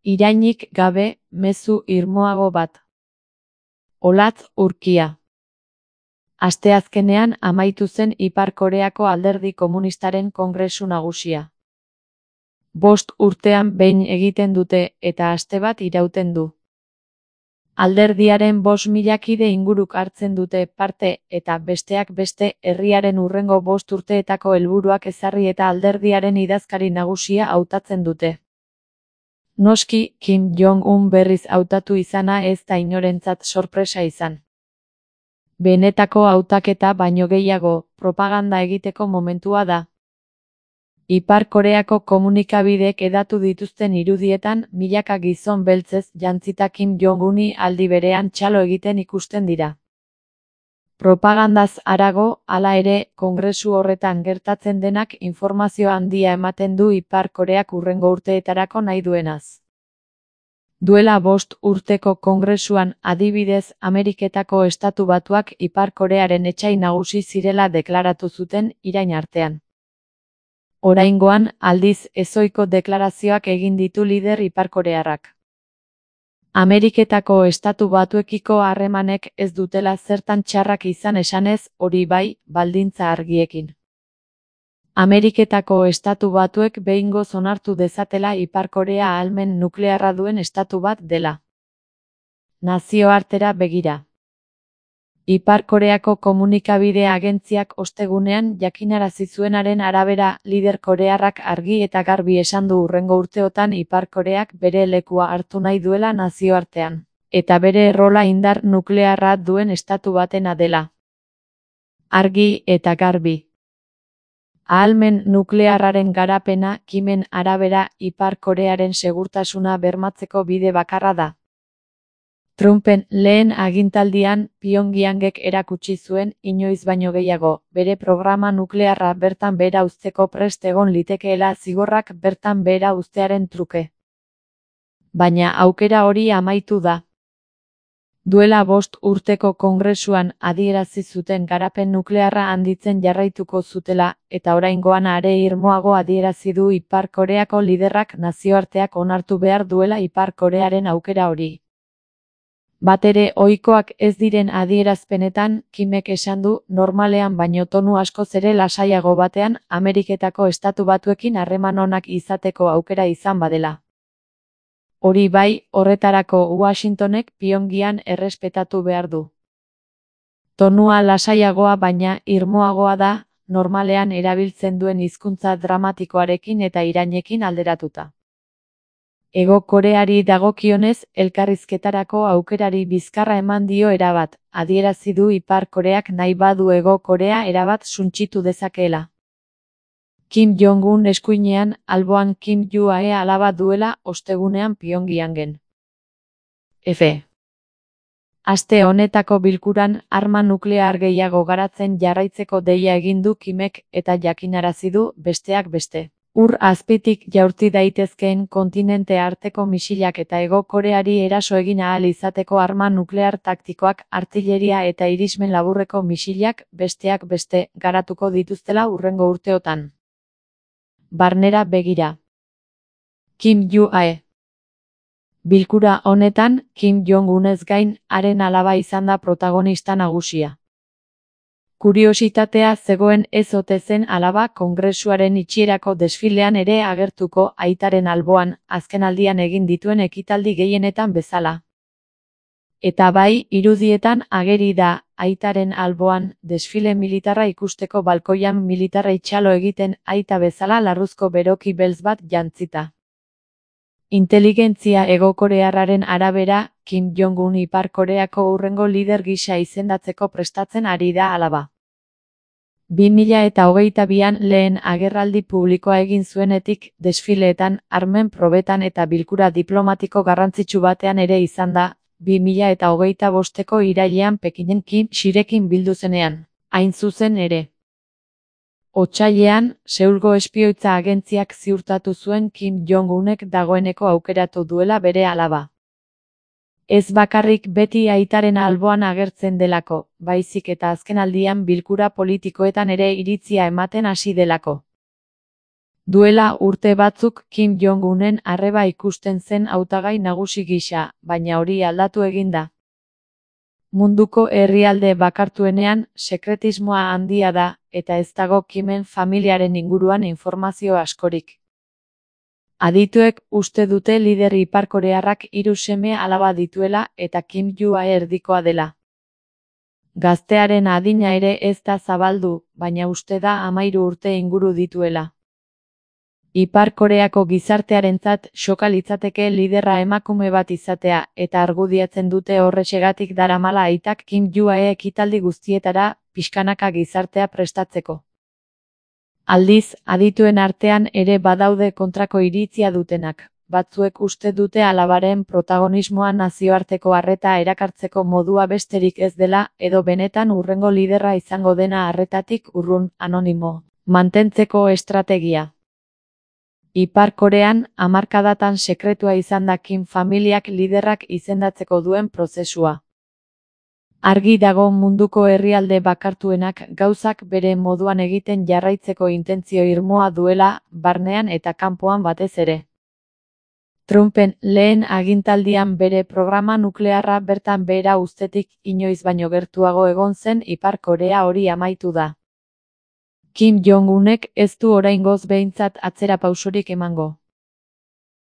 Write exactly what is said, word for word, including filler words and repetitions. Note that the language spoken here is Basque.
Irainik gabe, mezu irmoago bat. Olatz urkia. Asteazkenean amaitu zen Ipar Koreako Alderdi Komunistaren Kongresu Nagusia. Bost urtean behin egiten dute eta aste bat irauten du. Alderdiaren bost mila kide inguruk hartzen dute parte eta besteak beste herriaren hurrengo bost urteetako helburuak ezarri eta alderdiaren idazkari nagusia hautatzen dute. Noski, Kim Jong-un berriz hautatu izana ez da inorentzat sorpresa izan. Benetako hautaketa baino gehiago, propaganda egiteko momentua da. Ipar Koreako komunikabideek hedatu dituzten irudietan milaka gizon beltzez jantzita Kim Jong-uni aldi berean txalo egiten ikusten dira. Propagandaz harago, hala ere, kongresu horretan gertatzen denak informazio handia ematen du Ipar Koreak hurrengo urteetarako nahi duenaz. Duela bost urteko kongresuan adibidez Ameriketako Estatu Batuak Ipar Korearen etsai nagusi zirela deklaratu zuten irain artean. Oraingoan, aldiz, ezohiko deklarazioak egin ditu lider iparkorearrak. Ameriketako Estatu Batuekiko harremanek ez dutela zertan txarrak izan esanez, hori bai, baldintza argiekin. Ameriketako Estatu Batuek behingoz onartu dezatela Ipar Korea ahalmen nuklearra duen estatu bat dela. Nazioartera begira. Ipar Koreako komunikabide agentziak ostegunean jakinarazi zuenaren arabera, lider korearrak argi eta garbi esan du hurrengo urteotan Ipar Koreak bere lekua hartu nahi duela nazioartean, eta bere errola indar nuklearra duen estatu batena dela. Argi eta garbi. Ahalmen nuklearraren garapena, Kimen arabera, Ipar Korearen segurtasuna bermatzeko bide bakarra da. Trumpen lehen agintaldian Pyongyangek erakutsi zuen, inoiz baino gehiago, bere programa nuklearra bertan behera uzteko prest egon litekeela zigorrak bertan behera uztearen truke. Baina aukera hori amaitu da. Duela bost urteko kongresuan adierazi zuten garapen nuklearra handitzen jarraituko zutela, eta oraingoan are irmoago adierazi du Ipar Koreako liderrak nazioarteak onartu behar duela Ipar Korearen aukera hori. Batere ohikoak ez diren adierazpenetan, Kimek esan du, normalean baino tonu askoz ere lasaiago batean, Ameriketako Estatu Batuekin harreman onak izateko aukera izan badela. Hori bai, horretarako Washingtonek Pyongyang errespetatu behar du. Tonua lasaiagoa baina irmoagoa da, normalean erabiltzen duen hizkuntza dramatikoarekin eta irainekin alderatuta. Hego Koreari dagokionez, elkarrizketarako aukerari bizkarra eman dio erabat, adierazi du Ipar Koreak nahi badu Hego Korea erabat suntsitu dezakeela. Kim Jong-un eskuinean, alboan Kim Jong-un alaba duela ostegunean Pyongyangen. F. Aste honetako bilkuran, arma nuklear gehiago garatzen jarraitzeko deia egin du Kimek eta jakinarazi du, besteak beste. Ur azpitik jaurti daitezkeen kontinente arteko misilak eta Hego Koreari eraso egin ahal izateko arma nuklear taktikoak, artilleria eta irismen laburreko misilak, besteak beste, garatuko dituztela hurrengo urteotan. Barnera begira. Kim Jong-un. Bilkura honetan, Kim Jong-unez gain, haren alaba izan da protagonista nagusia. Kuriositatea zegoen ez ote zen alaba kongresuaren itxierako desfilean ere agertuko aitaren alboan, azkenaldian egin dituen ekitaldi gehienetan bezala. Eta bai, irudietan ageri da, aitaren alboan, desfile militarra ikusteko balkoian militarrei txalo egiten aita bezala larruzko beroki beltz bat jantzita. Inteligentzia Hego Korearraren arabera, Kim Jong-un Ipar Koreako hurrengo lider gisa izendatzeko prestatzen ari da alaba. bi mila eta hogeita bian lehen agerraldi publikoa egin zuenetik, desfileetan, armen probetan eta bilkura diplomatiko garrantzitsu batean ere izan da, bi mila eta hogeita bosteko irailean Pekinen Kim Xirekin bildu zenean, hain zuzen ere. Otsailean, Seulgo espioitza agentziak ziurtatu zuen Kim Jong-unek dagoeneko aukeratu duela bere alaba. Ez bakarrik beti aitaren alboan agertzen delako, baizik eta azkenaldian bilkura politikoetan ere iritzia ematen hasi delako. Duela urte batzuk Kim Jong-unen arreba ikusten zen hautagai nagusi gisa, baina hori aldatu egin da. Munduko herrialde bakartuenean sekretismoa handia da, eta ez dago Kimen familiaren inguruan informazio askorik. Adituek uste dute lider iparkorearrak hiru seme alaba dituela eta Kim Jua erdikoa dela. Gaztearen adina ere ez da zabaldu, baina uste da hamahiru urte inguru dituela. Ipar Koreako gizartearentzat xoka litzateke liderra emakume bat izatea, eta argudiatzen dute horrexegatik daramala aitak Kim Jua-e ekitaldi guztietara, pixkanaka gizartea prestatzeko. Aldiz, adituen artean ere badaude kontrako iritzia dutenak. Batzuek uste dute alabaren protagonismoa nazioarteko arreta erakartzeko modua besterik ez dela, edo benetan hurrengo liderra izango dena arretatik urrun, anonimo, mantentzeko estrategia. Ipar Korean, hamarkadatan sekretua izan da Kim familiak liderrak izendatzeko duen prozesua. Argi dago munduko herrialde bakartuenak gauzak bere moduan egiten jarraitzeko intentzio irmoa duela, barnean eta kanpoan batez ere. Trumpen lehen agintaldian bere programa nuklearra bertan behera uztetik inoiz baino gertuago egon zen Ipar Korea hori amaitu da. Kim Jong-unek ez du oraingoz behintzat atzera pausorik emango.